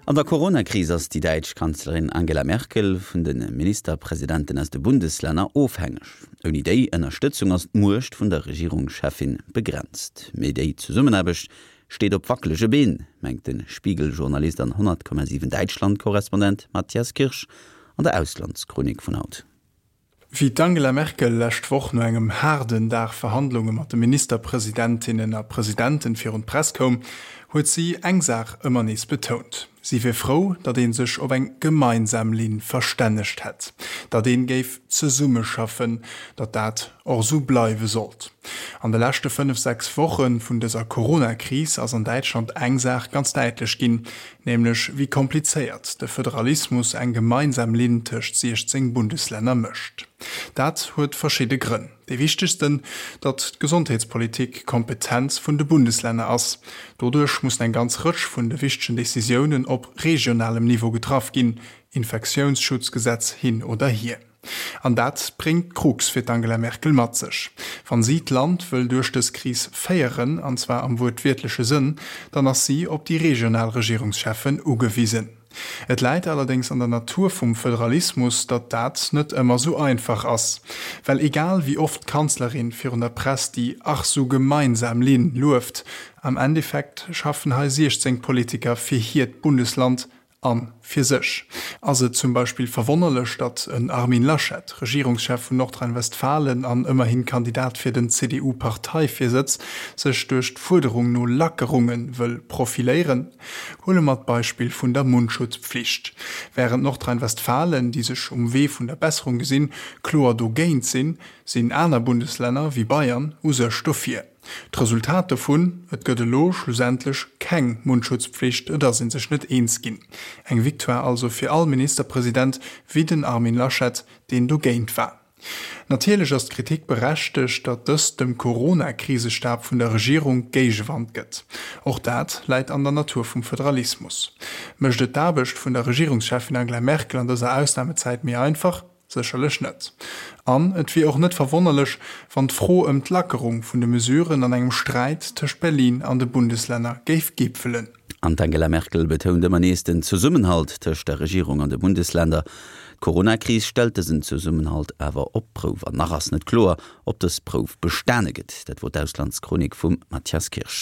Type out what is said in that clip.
An der Corona-Kris ass déi däitsch Kanzlerin Angela Merkel vun de Ministerpresidenten aus de Bundeslänner ofhängeg. Ouni déi Ënnerstëtzung ass d'Muecht vun der Regierungscheffin begrenzt. Mee déi Zesummenaarbecht steet op wackelege Been, mengt de Spiegel-Journalist an 100,7 Däitschland-Korrespondent Matthias Kirsch an der Auslandschronik vun haut. Wéi d'Angela Merkel lescht Woch no engem haarden Dag Verhandlunge mat de Ministerpresidentinnen a Presidenten virun d'Press koum, huet si eng Saach ëmmer nees betount, Si wier frou, datt ee sech op eng gemeinsam Linn verstännegt hätt, datt ee géif zesummeschaffen, datt dat och esou bleiwe sollt. An de leschte 5, 6 Woche vun dëser Corona-Kris ass an Däitschland eng Saach ganz däitlech ginn, Nämlech wéi komplizéiert de Föderalismus eng gemeinsam Linn tëscht 16 Bundeslänner mécht. Dat huet verschidde Grënn. Dee wichtegsten, datt d'Gesondheetspolitik Kompetenz vun de Bundeslänner ass. Doduerch mussen eng ganz Rëtsch vun de wichtegen Decisiounen op regionalem Niveau getraff ginn, Infektiounsschutzgesetz hin oder hier. An dat bréngt d'Krux fir d'Angela Merkel mat sech. Wann si d'Land wëll duerch dës Kris féieren, an zwar am wuertwiertleche Sënn, dann ass si op déi regional Regierungscheffen ugewisen. Et läit allerdéngs an der Natur vum Föderalismus, datt dat net ëmmer sou einfach ass. Well egal wéi oft d'Kanzlerin virun der Press déi ach sou gemeinsam Linn lueft, am Endeffekt schaffen hei 16 Politiker fir hiert Bundesland A fir sech. Ass et zum Beispill verwonnerlech, datt en Armin Laschet, Regierungschef vun Nordrhein-Westfalen an ëmmerhin Kandidat fir den CDU-Parteivirsëtz, sech duerch d'Fuerderung no Lackerunge wëll profiléieren? Huele mer d'Beispill vun der Mundschutzpflicht. Wärend Nordrhein-Westfalen, déi sech um Wee vun der Besserung gesinn, kloer dogéint sinn, sinn aner Bundeslänner, wéi Bayern, u sech dofir. D'Resultat dovun, Et gëtt elo schlussendlech keng Mundschutzpflicht, et ass ee sech net eens ginn. Eng Victoire also fir all Ministerpresident wéi den Armin Laschet, deen dogéint war. Natierlech ass d'Kritik berechtegt, datt dëst dem Corona-Krisestab vun der Regierung Géigewand gëtt. Och dat läit an der Natur vum Föderalismus. Mécht et d'Aarbecht vun der Regierungscheffin Angela Merkel an dëser Ausnamezäit méi einfach? Sécherlech net. An et wier och net verwonnerlech, wann d'Fro ëm d'Lackerung vun de Mesuren an engem Sträit tëscht Berlin an de Bundeslänner géif gipfelen. An d'Angela Merkel betount ëmmer nees den Zesummenhalt tëscht der Regierung an de Bundesländer. D'Corona-Kris stellt dësen Zesummenhalt awer op d'Prouf. An nach ass net kloer, ob dës Prouf bestane gëtt. Dat wor d'Auslandschronik vum Mathias Kirsch.